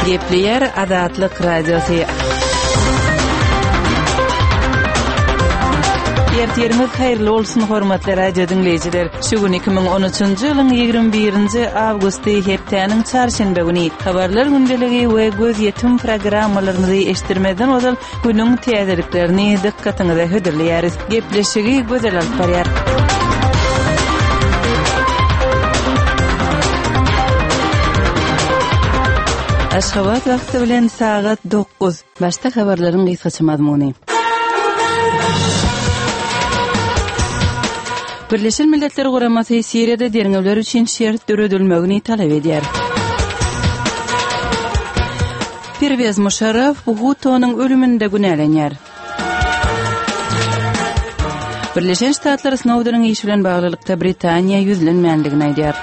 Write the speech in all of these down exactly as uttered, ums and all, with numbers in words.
Gepleýär Azatlyk Radiosy. Ertiriňiz haýyrly bolsun, hormatly radio diňleýjiler. Şu gün iki müň on üçünji ýylyň ýigrimi birinji awgusty hepdäniň çarşenbe güni. Habarlar gündeligi we gözýetim programmalarymyzy eşitdirmezden ozal günüň täzeliklerini dykgatyňyza hödürleýäris. Gepleşigi Gözel alyp barýar. Aşgabat wagty bilen sagat dokuz. Başda habarlaryň gysgaça mazmuny. Birleşen Milletler Guramasy Siriýada derňewler üçin şert döredilmegini talap edýär. Perwez Muşarraf Bhutto'nyň ölüminde günälenýär. Birleşen Ştatlar Snowdeniň işi bilen baglylykda Britaniýa ýüzlenmändigini aýdýar.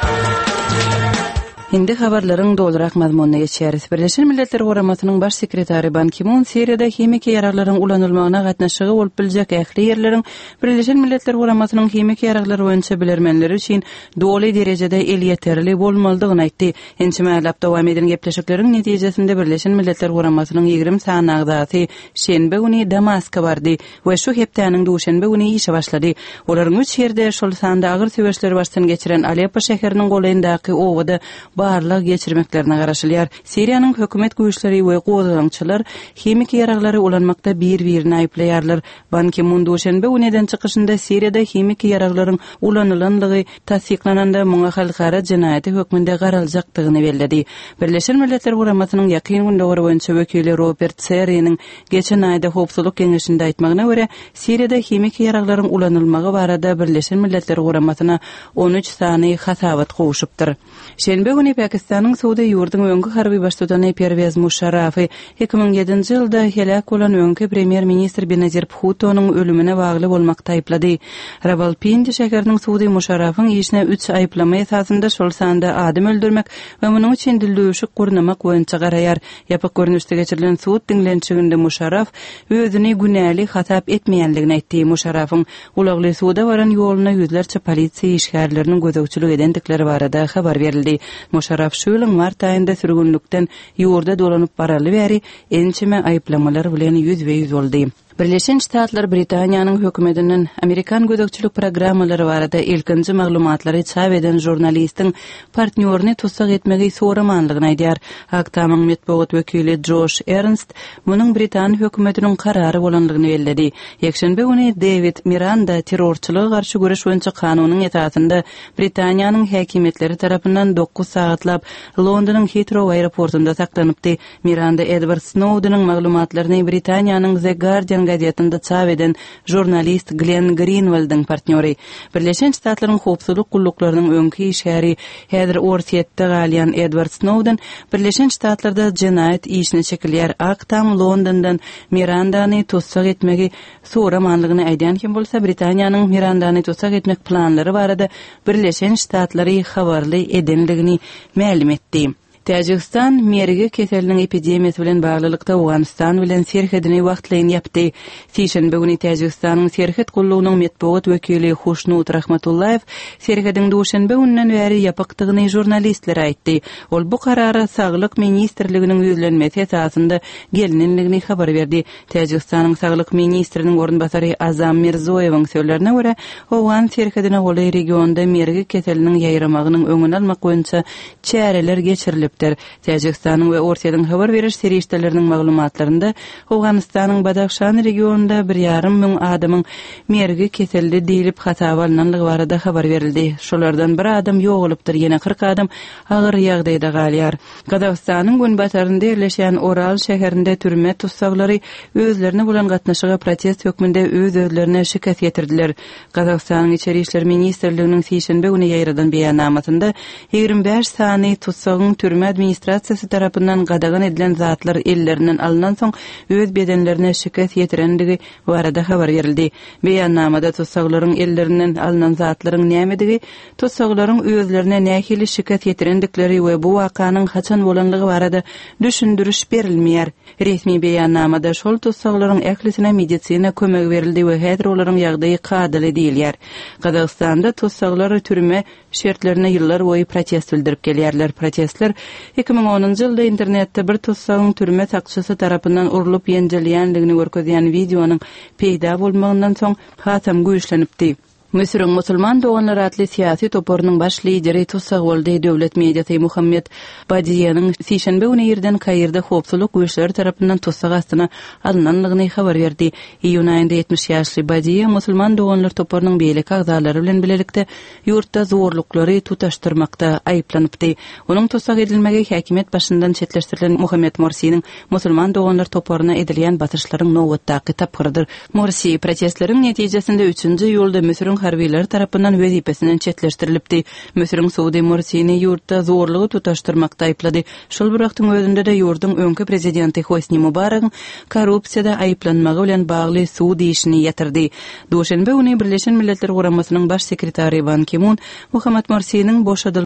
Indi habarlaryň dolurak mazmunyna geçýäris. Birleşen Milletler Guramasynyň baş sekretary Ban Ki-mun Siriýada himiki ýaraglaryň ulanylmagyna gatnaşygy bolup biljek ähli ýerleriň Birleşen Milletler Guramasynyň himiki ýaraglar boýunça bilermenleri üçin doly derejede elýeterli bolmalydygyny aýtdy. Ençeme aýlap dowam eden gepleşikleriň netijesinde Birleşen Milletler Guramasynyň ýigrimi sany agzasy şenbe güni Damaska bardy we şu hepdäniň duşenbe güni işe başlady. Olaryň üç ýerde, şol sanda agyr söweşleri başdan geçiren Aleppo şäheriniň golaýyndaky obada barlag geçirmeklerine garaşylýar. Siriýanyň hökümet güýçleri we gozgalaňçylar himiki ýaraglary ulanmakda bir-birini aýyplaýarlar. Ban Ki-mun duşenbe güni eden çykyşynda Siriýada himiki ýaraglaryň ulanylanlygy tassyklananda muňa halkara jenaýaty hökmünde garaljakdygyny belledi. Birleşen Milletler Guramasynyň ýakyn gündogar boýunça wekili Robert Serriniň geçen aýda Howpsuzlyk Geňeşinde aýtmagyna görä, Siriýada himiki ýaraglaryň ulanylmagy barada Birleşen Milletler Guramasyna on üç sany hasabat gowşupdyr. Şenbe güni Pakistanyň sudy ýurduň öňki harby baştutany Perwez Muşarrafy iki müň ýedinji ýylda heläk bolan öňki premýer-ministr Benazir Bhutto'nyň ölümine bagly bolmakda aýyplady. Rawalpindi şäheriniň sudy Muşarrafyň işine üç aýyplama esasynda şol sanda adam öldürmek we munuň üçin dildüwşük gurnamak boýunça garaýar. Ýapyk görnüşde geçirilen sud diňlenişiginde Muşarraf özüni günäli hasap etmeýänligini aýtdy. Muşarrafyň ulagly suda baran ýoluna ýüzlerçe polisiýa işgärleriniň gözegçilik edendikleri barada habar berildi. Muşarraf şu ýylyň mart aýynda sürgünlikden ýurda dolanyp baraly bäri ençeme aýyplamalar bilen ýüzbe-ýüz boldy. Birleşen Ştatlar Britaniýanyň hökümetinden Amerikan gözegçilik programmalary barada ilkinji maglumatlary çap eden žurnalistiň partnýoryny tussag etmegi soramanlygyny aýdýar. Ak Tamyň metbugat wekili Josh Ernst munuň Britan hökümetiniň karary bolanlygyny belledi. Ýekşenbe güni David Miranda terrorçylyga garşy göreş boýunça kanunyň esasynda Britaniýanyň häkimiýetleri tarapyndan dokuz sagatlap Londonyň Heathrow aeroportunda saklanypdy. Miranda Edward Snowdeniň maglumatlaryny Britaniýanyň The Guardian gazetinde çap eden žurnalist Glenn Greenwaldyň partnýory. Birleşen Ştatlaryň howpsuzlyk gulluklarynyň öňki işgäri häzir Orsýetde galýan Edward Snowden Birleşen Ştatlarda jenaýat işine çekilýär. Ak Tam Londondan Mirandany tussag etmegi soramanlygyny aýdýan hem bolsa Britaniýanyň Mirandany tussag etmek planlary barada Birleşen Ştatlary habarly edenligini mälim etdi. Täjigistan mergi keseliniň epidemiýasy bilen baglylykda Owganystan bilen serhedini wagtlaýyn ýapdy. Sişenbe güni Täjigistanyň serhet gullugynyň metbugat wekili Huşnut Rahmatullaýew serhediň duşenbe gününden bäri ýapykdygyny žurnalistlere aýtdy. Ol bu karara Saglyk ministrliginiň ýüzlenmesi esasynda gelinenligini habar berdi. Täjigistanyň Saglyk ministriniň orunbasary Azam Mirzoýewiň sözlerine görä, Owgan serhedine golaý regionda mergi keseliniň ýaýramagynyň öňüni almak boýunça çäreler geçirilipdir. Täjigistanyň we Orsýetiň habar beriş serişdeleriniň maglumatlarynda Owganystanyň Badahşan regionunda bir ýarym müň adamyň mergi keseldi diýlip hasaba alynanlygy barada habar berildi. Şolardan bir adam ýogalypdyr, ýene kyrk adam agyr ýagdaýda galýar. Gazagystanyň günbatarynda ýerleşen Oral şäherinde türme tutsaglary özlerine bolan gatnaşyga protest hökmünde öz-özlerine şikes getirdiler. Gazagystanyň Içeri İşler Ministrliginiň sişenbe güni ýaýradan beýannamasynda ýigrimi bäş sany tutsagyň türme administrasiýasy tarapyndan gadagan edilen zatlar ellerinden alynan soň öz bedenlerine şikes ýetirendigi barada habar berildi. Beýannamada tutsaglaryň ellerinden alynan zatlaryň nämedigi, tutsaglaryň özlerine nähili şikes ýetirendikleri we bu wakanyň haçan bolanlygy barada düşündiriş berilmeýär. Resmi beýannamada şol tutsaglaryň ählisine medisina kömegi berildi we häzir olaryň ýagdaýy kadaly diýilýär. Gazagystanda tutsaglar türme şertlerine ýyllar boýy protest bildirip gelýärler. Protestler Iki müň onunjy ýylda internetde bir tussagyň türme sakçysy tarapyndan urlup ýenjilýändigini görkezýän wideonyň peýda bolmagyndan soň hasam güýçlenipdi. Müsüriň Musulman doganlar atly syýasy toparynyň baş lideri tussag boldy. Döwlet mediasy Muhammet Badiýeniň sişenbe güni irden Kairde howpsuzlyk güýçleri tarapyndan tussag astyna alynandygyny habar berdi. Iýun aýynda ýetmiş ýaşly Badiýe Musulman doganlar toparynyň beýleki agzalary bilen bilelikde ýurtda zorluklary tutaşdyrmakda aýyplanypdy. Onuň tussag edilmegi häkimiýet başyndan çetleşdirilen Muhammet Morsiniň Musulman doganlar toparyna edilýän basyşlaryň nobatdaky tapgyrydyr. Morsi protestleriň netijesinde üçünji iýulda Müsüriň harbylary tarapyndan wezipesinden çetleşdirilipdi. Müsüriň sudy Morsini ýurtda zorlugy tutaşdyrmakda aýyplady. Şol bir wagtyň özünde-de ýurduň öňki prezidenti Hosni Mubaragyň korrupsiýada aýyplanmagy bilen bagly sud işini ýatyrdy. Duşenbe güni Birleşen Milletler Guramasynyň Baş sekretary Ban Ki-mun Muhammad Morsiniň boşadylmagyny